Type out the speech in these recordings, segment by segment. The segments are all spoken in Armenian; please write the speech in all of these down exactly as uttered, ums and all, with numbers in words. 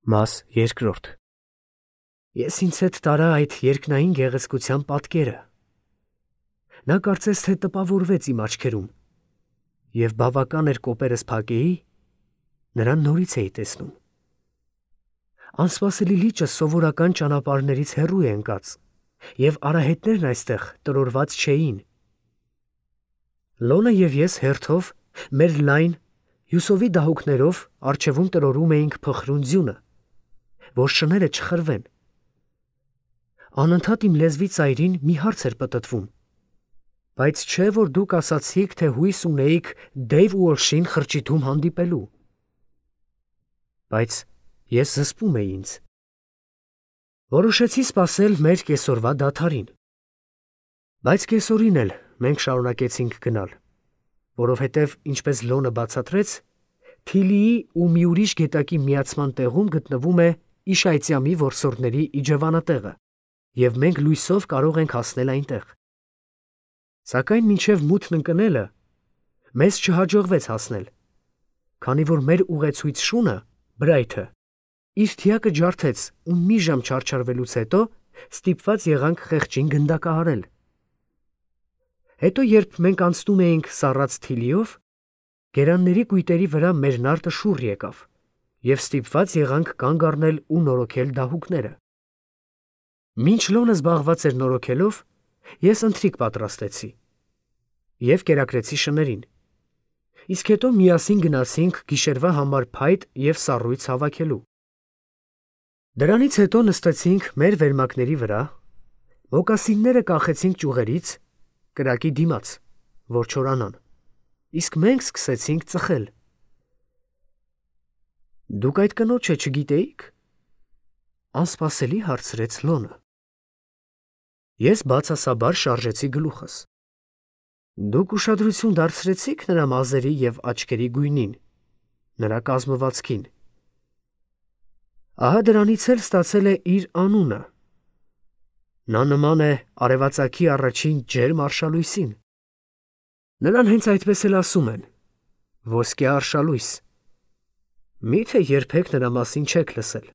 Մաս երկրորդ Ես ինձ հետ տարա այդ երկնային գեղեցկության պատկերը. նա կարծես թե տպավորվեց իմ աչքերում, և բավական էր կոպերս փակեի, նրան նորից էի տեսնում. անսպասելի լիճը սովորական ճանապարհներից հեռու է ընկած, և արահետներն այստեղ տրորված չէին. Լոնը և ես հերթով մեր լայն հյուսովի դահուկներով առջևում տրորում էինք փխրուն ձյունը, որ շները չխրվեն. անընդհատ իմ լեզվի ծայրին մի հարց էր պտտվում. բայց չէ՞ որ դուք ասացիք, թե հույս ունեիք Դեյվ Ուոլշին խրճիթում հանդիպելու: Բայց ես զսպում էի ինձ: Որոշեցի սպասել մեր կեսօրվա դադարին: Բայց կեսօրին էլ մենք շարունակեցինք գնալ, որովհետև, ինչպես Լոնը բացատրեց, Թիլիի ու մի ուրիշ գետակի միացման տեղում գտնվում է Իշայծյամի որսորդների իջևանատեղը, և մենք լույսով կարող ենք հասնել այնտեղ: Սակայն մինչև մութն ընկնելը մեզ չհաջողվեց հասնել, քանի որ մեր ուղեցույց շունը՝ Բրայթը, իր թիակը ջարդեց ու մի ժամ չարչարվելուց հետո ստիպված եղանք խեղճին գնդակահարել: Հետո երբ մենք անցնում էինք սառած Թիլիով, գերանների կույտերի վրա մեր նավթը շուռ եկավ, և ստիպված եղանք կանգ առնել ու նորոգել դահուկները: Մինչ Լոնը զբաղված էր նորոգելով, ես ընթրիք պատրաստեցի և կերակրեցի շներին, իսկ հետո միասին գնացինք գիշերվա համար փայտ և սառույց հավաքելու: Դրանից հետո նստեցինք մեր վերմակների վրա, մոկասինները կախեցինք ճյուղերից, կրակի դիմաց, որ չորանան, իսկ մենք սկսեցինք ծխել: Դուք այդ կնոջը չգիտեի՞ք, անսպասելի հարցրեց Լոնը: Ես բացասաբար շարժեցի գլուխս: Դուք ուշադրություն դարձրեցի՞ք նրա մազերի և աչքերի գույնին, նրա կազմվածքին: Ահա դրանից էլ ստացել է իր անունը: Նա նման է արևածագի առաջին ջերմ արշալույսին: Նրան հենց այդպես էլ ասում են՝ ոսկյա արշալույս: Մի՞թե երբեք նրա մասին չեք լսել: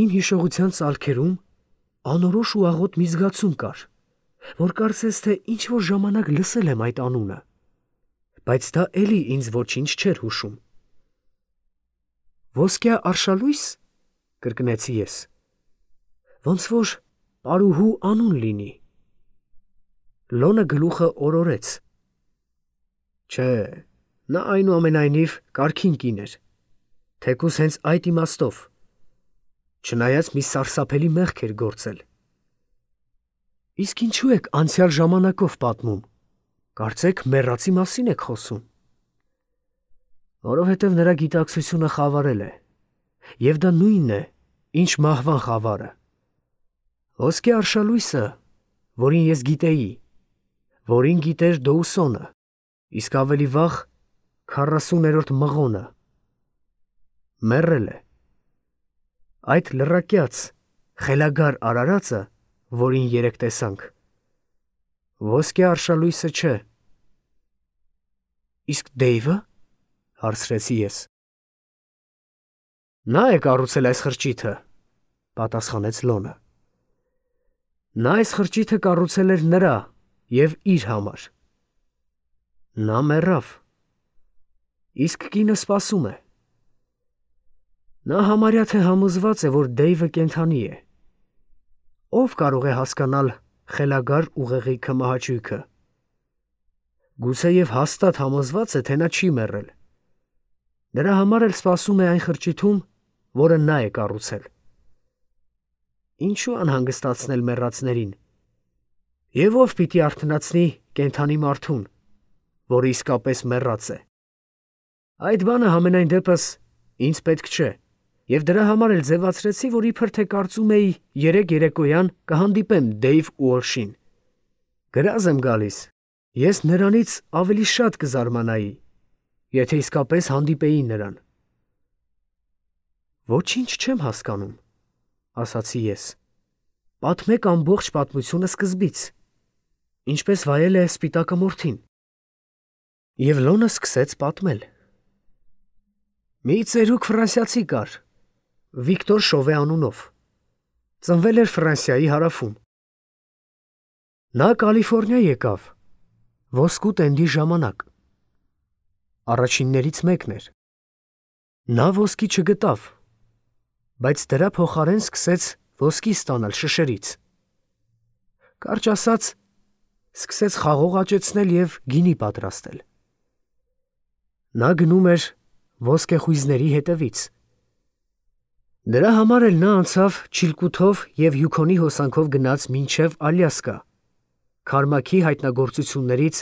Իմ հիշողության ծալքերում անորոշ ու աղոտ մի զգացում կար, որ կարծես թե ինչ-որ ժամանակ լսել եմ այդ անունը, բայց դա էլի ինձ ոչինչ չէր հուշում: Ոսկյա արշալույս, կրկնեցի ես, ոնց որ պարուհու անուն լինի: Լոնը գլուխը օրորեց: Չէ, նա այնուամենայնիվ կարգին կին էր, թեկուզ հենց այդ իմաստով, չնայած մի սարսափելի մեղք էր գործել: Իսկ ինչո՞ւ եք անցյալ ժամանակով պատմում, կարծեք մեռածի մասին եք խոսում: Որովհետև նրա գիտակցությունը խավարել է, և դա նույնն է, ինչ մահվան խավարը: Ոսկյա արշալույսը, որին ես գիտեի, որին գիտեր Դոուսոնը, իսկ ավելի վաղ քառասուներորդ Մղոնը, մեռել է: Այդ լռակյաց, խելագար արարածը, որին երեկ տեսանք, ոսկյա արշալույսը չէ: Իսկ Դեյվը՞, հարցրեցի ես: Նա է կառուցել այս խրճիթը, պատասխանեց Լոնը: Նա այս խրճիթը կառուցել էր նրա և իր համար: Նա մեռավ, իսկ կինը սպասում է: Նա համարյա թե համոզված է, որ Դեյվը կենդանի է: Ո՞վ կարող է հասկանալ խելագար ուղեղի քմահաճույքը: Գուցեև հաստատ համոզված է, թե նա չի մեռել: Դրա համար էլ սպասում է այն խրճիթում, որը նա է կառուցել: Ինչո՞ւ անհանգստացնել մեռածներին: Եվ ո՞վ պիտի արթնացնի կենդանի մարդուն, որը իսկապես մեռած է: Այդ բանը համենայն դեպս ինձ պետք չէ, և դրա համար էլ ձևացրեցի, որ իբր թե կարծում էի երեկ երեկոյան կհանդիպեմ Դեյվ Ուոլշին: Գրազ եմ գալիս, ես նրանից ավելի շատ կզարմանայի, եթե իսկապես հանդիպեի նրան: Ոչինչ չեմ հասկանում, ասացի ես: Պատմեք ամբողջ պատմությունը սկզբից, ինչպես վայել է Սպիտակամորթին: Եվ Լոնը սկսեց պատմել: Մի ծերուկ ֆրանսիացի կար, Վիկտոր Շովե անունով, ծնվել էր Ֆրանսիայի հարավում։ Նա Կալիֆոռնիա եկավ ոսկու տենդի ժամանակ։ Առաջիններից մեկն էր։ Նա ոսկի չգտավ, բայց դրա փոխարեն սկսեց ոսկի ստանալ շշերից։ Կարճ ասած, սկսեց խաղող աճեցնել և գինի պատրաստել։ Նա գնում էր ոսկեխույզների հետևից։ Դրա համար էլ նա անցավ Չիլկութով և Յուքոնի հոսանքով գնաց մինչև Ալյասկա, Քարմաքի հայտնագործություններից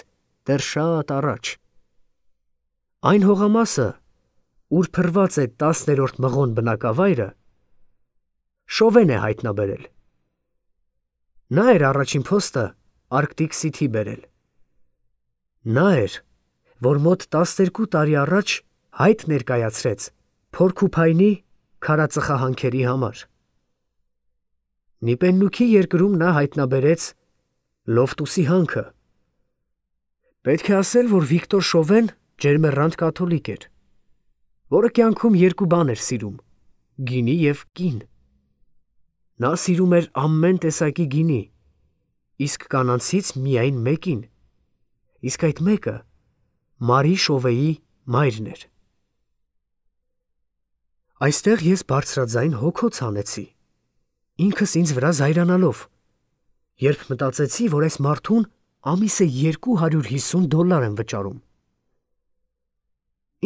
դեռ շատ առաջ։ Այն հողամասը, ուր փռված է տասներորդ մղոն բնակավայրը, Շովեն է հայտնաբերել։ Նա էր առաջին փոստը Արկտիկ Սիթի բերել։ Նա էր, որ մոտ տասներկու տարի առաջ հայտ ներկայացրեց Փորքուփայնի քարածխահանքերի համար։ Նիպեննուքի երկրում նա հայտնաբերեց Լոֆտուսի հանքը։ Պետք է ասել, որ Վիկտոր Շովեն ջերմեռանդ կաթոլիկ էր, որը կյանքում երկու բան էր սիրում՝ գինի և կին։ Նա սիրում էր ամեն տեսակի գինի, իսկ կանանցից միայն մեկին, իսկ այդ մեկը Մարի Շովեի մայրն էր։ Այստեղ ես բարձրաձայն հոգոց հանեցի, ինքս ինձ վրա զայրանալով, երբ մտածեցի, որ այս մարդուն ամիսը երկու հարյուր հիսուն դոլար են վճարում։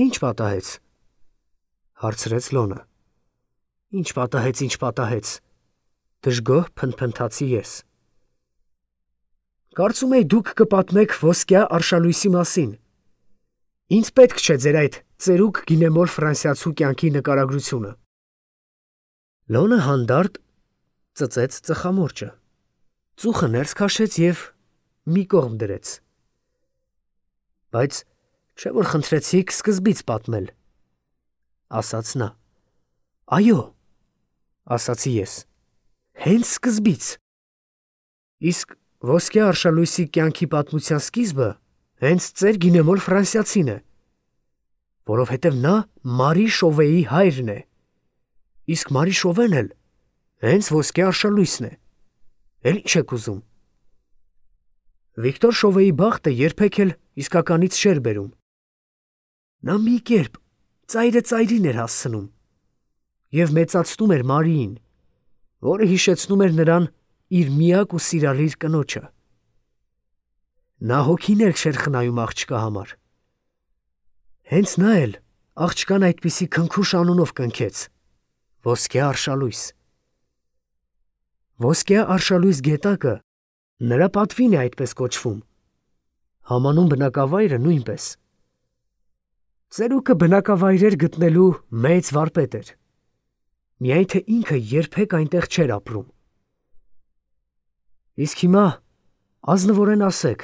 Ինչ պատահեց, հարցրեց Լոնը։ Ինչ պատահեց, ինչ պատահեց, դժգոհ փնթփնթացի ես։ Կարծում էի դուք կպատմեք ոսկյա արշալույսի մասին։ Ինձ պետք չէ ձեր այդ ծերուկ գինեմոր ֆրանսիացու կյանքի նկարագրությունը։ Լոնը հանդարտ ծծեց ծխամորճը, ծուխը ներս քաշեց և մի կողմ դրեց։ Բայց չէ՞ որ խնդրեցիք սկզբից պատմել, ասաց նա։ Այո, ասացի ես, հենց սկզբից։ Իսկ ոսկյա արշալույսի կյանքի պատմության սկիզբը հենց ծեր գինեմոր ֆրանսիացին է, որովհետև նա Մարի Շովեի հայրն է, իսկ Մարի Շովեն էլ հենց ոսկյա արշալույսն է, էլ ինչ եք ուզում։ Վիկտոր Շովեի բախտը երբեք էլ իսկականից չէր բերում։ Նա մի կերպ ծայրը ծայրին էր հասցնում և մեծացնում էր Մարիին, որը հիշեցնում էր նրան իր միակ ու սիրալիր կնոջը։ Նա հոգիներ չէր խնայում աղջկա համար։ Հենց նա էլ աղջկան այդպիսի քնքուշ անունով կնքեց՝ ոսկյա արշալույս։ Ոսկյա արշալույս գետակը նրա պատվին է այդպես կոչվում, համանուն բնակավայրը նույնպես։ Ծերուկը բնակավայրեր գտնելու մեծ վարպետ էր, միայն թե ինքը երբեք այնտեղ չէր ապրում։ Իսկ հիմա ազնվորեն ասեք,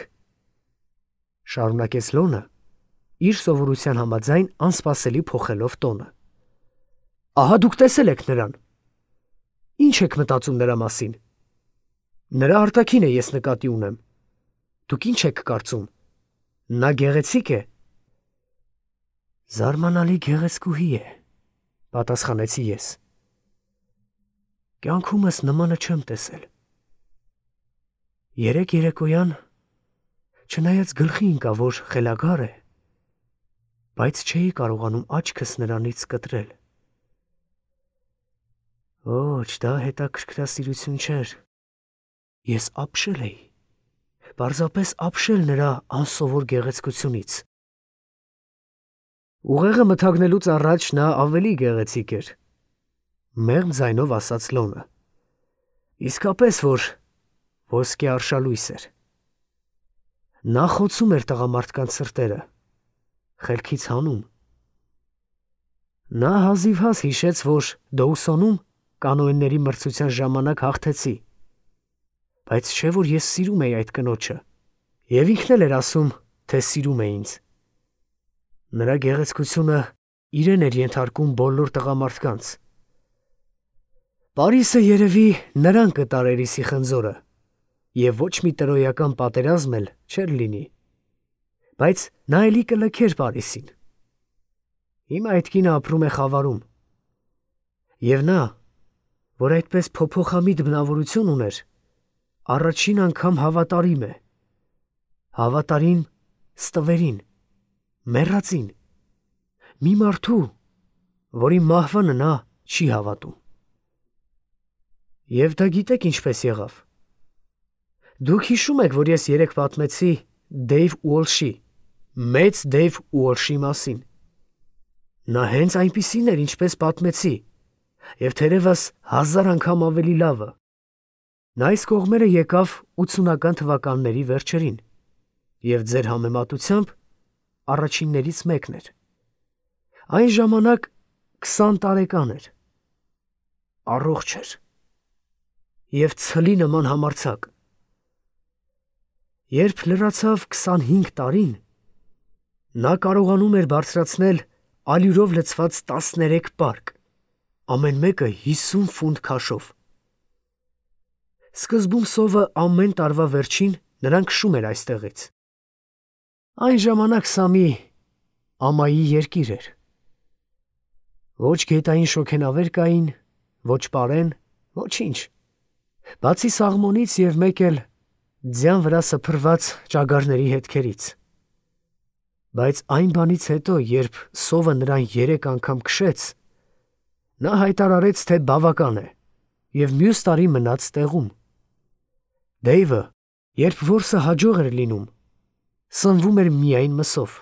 շարունակեց Լոնը, իր սովորության համաձայն անսպասելի փոխելով տոնը։ Ահա դուք տեսել եք նրան։ Ինչ եք մտածում նրա մասին։ Նրա արտաքինը ես նկատի ունեմ։ Դուք ինչ եք կարծում։ Նա գեղեցիկ է։ Զարմանալի գեղեցկուհի է, պատասխանեցի ես։ Կյանքումս նմանը չեմ տեսել։ Երեկ երեկոյան, չնայած գլխի ընկա, որ խելագար է, բայց չէի կարողանում աչքս նրանից կտրել։ Ոչ, դա հետաքրքրասիրություն չէր։ Ես ապշել էի, պարզապես ապշել նրա անսովոր գեղեցկությունից։ Ուղեղը մթագնելուց առաջ նա ավելի գեղեցիկ էր, մեղմ ձայնով ասաց Լոնը։ Իսկապես, որ ոսկե արշալույս էր։ Նա խոցում էր տղամարդկանց սրտերը, խելքից հանում։ Նա հազիվհազ հիշեց, որ Դոուսոնում կանոենների մրցության ժամանակ հաղթեցի, բայց չէ որ ես սիրում էի այդ կնոջը, և ինքն էլ էր ասում, թե սիրում է ինձ։ Նրա գեղեցկությունը իրեն էր ենթարկում բոլոր տղամարդկանց։ Պարիսը երևի նրան կտարեր իսի խնձորը, և ոչ մի տրոյական պատերազմ էլ չէր լինի, բայց նա էլի կլքեր Պարիսին։ Հիմա այդ կինը ապրում է Խավարում։ Եվ նա, որ այդպես փոփոխամիտ բնավորություն ուներ, առաջին անգամ հավատարիմ է, հավատարիմ ստվերին, մեռածին, մի մարդու, որի մահվանը նա չի հավատում։ Եվ դա գիտեք ինչպես եղավ։ Դուք հիշում եք, որ ես երեկ պատմեցի Դեյվ Ուոլշի, մեծ Դեյվ Ուոլշի մասին։ Նա հենց այնպիսին էր, ինչպես պատմեցի, և թերևս հազար անգամ ավելի լավը։ Նա այս կողմերը եկավ ութսունական թվականների վերջերին, և ձեր համեմատությամբ առաջիններից մեկն էր։ Այն ժամանակ քսան տարեկան էր, առողջ էր և ցլի նման համարձակ։ Երբ լրացավ քսանհինգ տարին, նա կարողանում էր բարձրացնել ալյուրով լցված տասներեք պարկ, ամեն մեկը հիսուն ֆունտ քաշով։ Սկզբում սովը ամեն տարվա վերջին նրան քշում էր այստեղից։ Այն ժամանակ սա մի ամայի երկիր էր։ Ոչ գետային շոգենավեր կային, ոչ պարեն, ոչինչ, բացի սաղմոնից և մեկ էլ ձյան վրա սփռված ճագարների հետքերից։ Բայց այն բանից հետո, երբ սովը նրան երեք անգամ քշեց, նա հայտարարեց, թե բավական է, և մյուս տարի մնաց տեղում։ Դեյվը, երբ որսը հաջող էր լինում, սնվում էր միայն մսով։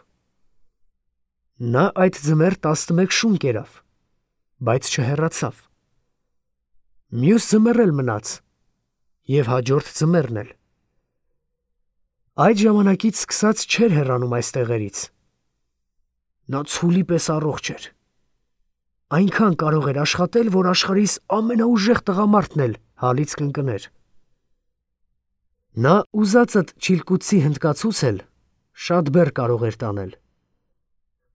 Նա այդ ձմեռ տասնմեկ շուն կերավ, բայց չհեռացավ։ Մյուս ձմեռ էլ մնաց, և հաջորդ ձմեռն էլ։ Այդ ժամանակից սկսած չէր հեռանում այս տեղերից։ Նա ցուլի պես առողջ էր։ Այնքան կարող էր աշխատել, որ աշխարհիս ամենաուժեղ տղամարդն էլ հալից կընկներ։ Նա ուզածդ Չիլկուտսի հնդկացուցել շատ բեռ կարող էր տանել։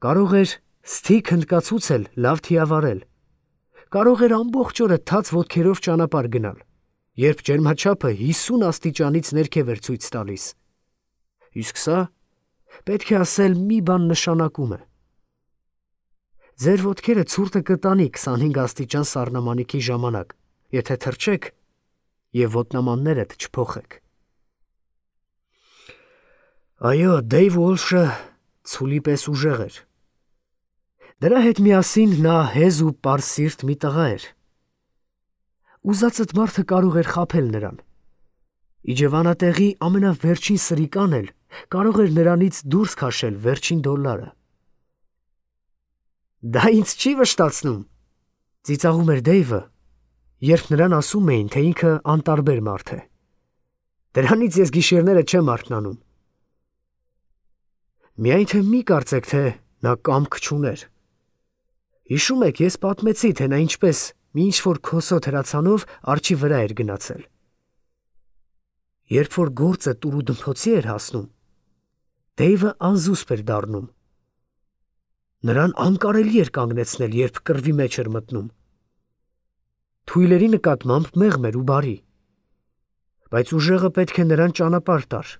Կարող էր սթիք հնդկացուցել լավ թիավարել։ Կարող էր ամբողջ օրը թաց ոտքերով ճանապարհ գնալ, երբ ջերմաչափը հիսուն աստիճանից ներքև էր ցույց տալիս։ Իսկ սա, պետք է ասել, մի բան նշանակում է։ Ձեր ոտքերը ցուրտը կտանի քսանհինգ աստիճան սառնամանիքի ժամանակ, եթե թռչեք և ոտնամաններդ չփոխեք։ Այո, Դեյվ Ուոլշը ցուլի պես ուժեղ էր։ Դրա հետ միասին նա հեզ ու պարսիրտ մի տղա էր։ Ուզածդ մարդը կարող էր խաբել նրան։ Իջևանատեղի ամենավերջին սրիկան էլ կարող էր նրանից դուրս քաշել վերջին դոլարը։ Դա ինձ չի վշտացնում, ծիծաղում էր Դեյվը, երբ նրան ասում էին, թե ինքը անտարբեր մարդ է։ Դրանից ես գիշերները չեմ արթնանում։ Միայն թե մի կարծեք, թե նա կամք չուներ։ Հիշում եք, ես պատմեցի, թե նա ինչպես մի ինչ-որ քոսոտ հրացանով արջի վրա էր գնացել։ Երբ որ գործը տուրուդմփոցի էր հասնում, Դեյվը անզուսպ էր դառնում։ Նրան անկարելի էր կանգնեցնել, երբ կռվի մեջ էր մտնում։ Թույլերի նկատմամբ մեղմ էր ու բարի, բայց ուժեղը պետք է նրան ճանապարհ տար։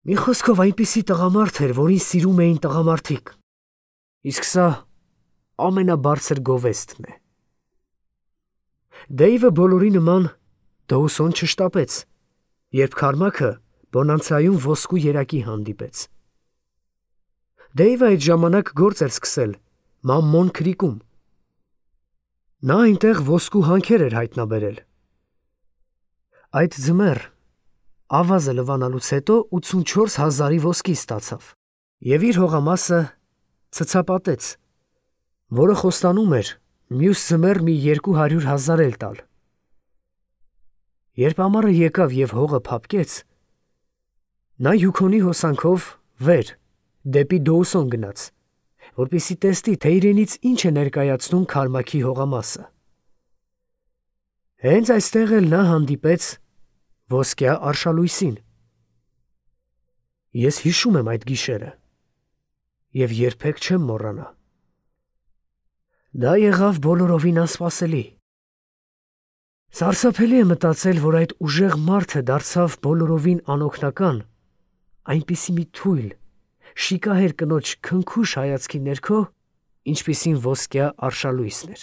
Մի խոսքով այնպիսի տղամարդ էր, որին սիրում էին տղամարդիկ, իսկ սա ամենաբարձր գովեստն է։ Դեյվը բոլորի նման դոուսոն չշտապեց, երբ Քարմաքը Բոնանցայում ոսկու երակի հանդիպեց։ Դեյվը այդ ժամանակ գործ էր սկսել Մամմոն քրիկում։ Նա այնտեղ ոսկու հանքեր էր հայտնաբերել։ Այդ ձմեռ ավազը լվանալուց հետո ութսունչորս հազարի ոսկի ստացավ և իր հողամասը ցցապատեց, որը խոստանում էր մյուս ձմեռ մի երկու հարյուր հազար էլ տալ։ Երբ ամառը եկավ և հողը փափկեց, նա Յուքոնի հոսանքով վեր, դեպի Դոուսոն գնաց, որպեսզի տեսնի, թե իրենից ինչ է ներկայացնում Քարմաքի հողամասը։ Հենց այստեղ էլ նա հանդիպեց ոսկյա արշալույսին։ Ես հիշում եմ այդ գիշերը և երբեք չեմ մոռանա։ Դա եղավ բոլորովին անսպասելի։ Սարսափելի է մտածել, որ այդ ուժեղ մարդը դարձավ բոլորովին անօգնական այնպիսի մի թույլ, շիկահեր կնոջ քնքուշ հայացքի ներքո, ինչպիսին ոսկյա արշալույսն էր։